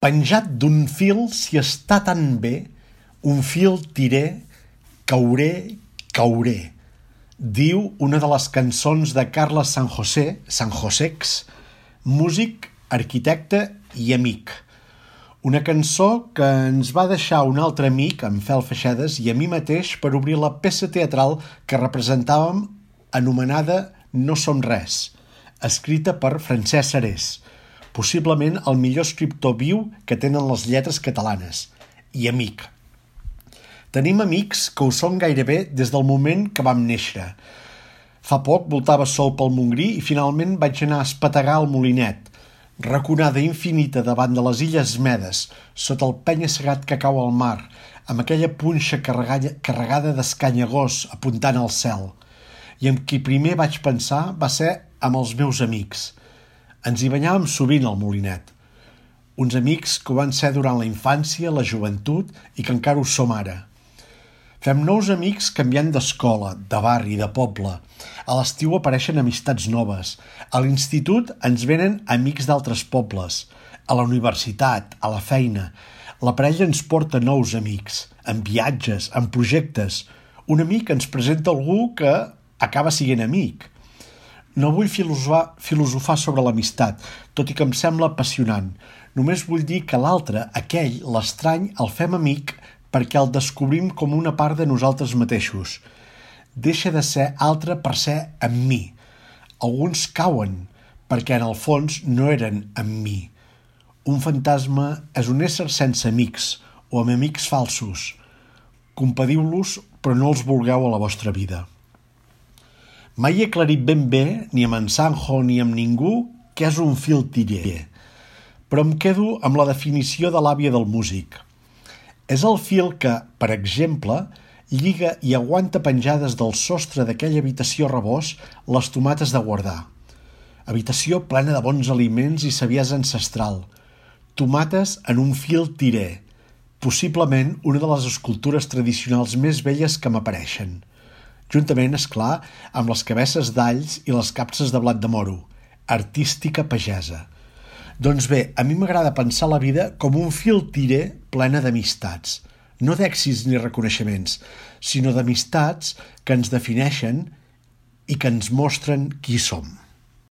Penjat d'un fil, si està tan bé, un fil tiré, cauré, diu una de les cançons de Carles San Josex, músic, arquitecte i amic. Una cançó que ens va deixar un altre amic, en Fel Feixedes, i a mi mateix per obrir la peça teatral que representàvem anomenada No som res, escrita per Francesc Serés, possiblement el millor escriptor viu que tenen les lletres catalanes, i amic. Tenim amics que ho són gairebé des del moment que vam néixer. Fa poc voltava sol pel Montgrí i finalment vaig anar a espetegar al Molinet, raconada infinita davant de les Illes Medes, sota el penya-segat que cau al mar, amb aquella punxa carregada d'escanyagós apuntant al cel. I amb qui primer vaig pensar va ser amb els meus amics. Ens hi banyàvem sovint al Molinet. Uns amics que ho van ser durant la infància, la joventut i que encara ho som ara. Fem nous amics canviant d'escola, de barri, de poble. A l'estiu apareixen amistats noves. A l'institut ens venen amics d'altres pobles. A la universitat, a la feina. La parella ens porta nous amics, en viatges, en projectes. Un amic ens presenta algú que acaba sent amic. No vull filosofar sobre l'amistat, tot i que em sembla apassionant. Només vull dir que l'altre, aquell, l'estrany, el fem amic perquè el descobrim com una part de nosaltres mateixos. Deixa de ser altre per ser amb mi. Alguns cauen perquè en el fons no eren amb mi. Un fantasma és un ésser sense amics o amb amics falsos. Compadiu-los, però no els vulgueu a la vostra vida. Mai he aclarit ben bé, ni amb en Sanjo ni amb ningú, què és un fil tiré. Però em quedo amb la definició de l'àvia del músic. És el fil que, per exemple, lliga i aguanta penjades del sostre d'aquella habitació rebost les tomates de guardar. Habitació plena de bons aliments i saviesa ancestral. Tomates en un fil tiré, possiblement una de les escultures tradicionals més belles que m'apareixen. Juntament, és clar, amb les cabesses d'alls i les capses de blat de moro. Artística pagesa. Doncs bé, a mi m'agrada pensar la vida com un fil tiré plena d'amistats. No d'èxits ni reconeixements, sinó d'amistats que ens defineixen i que ens mostren qui som.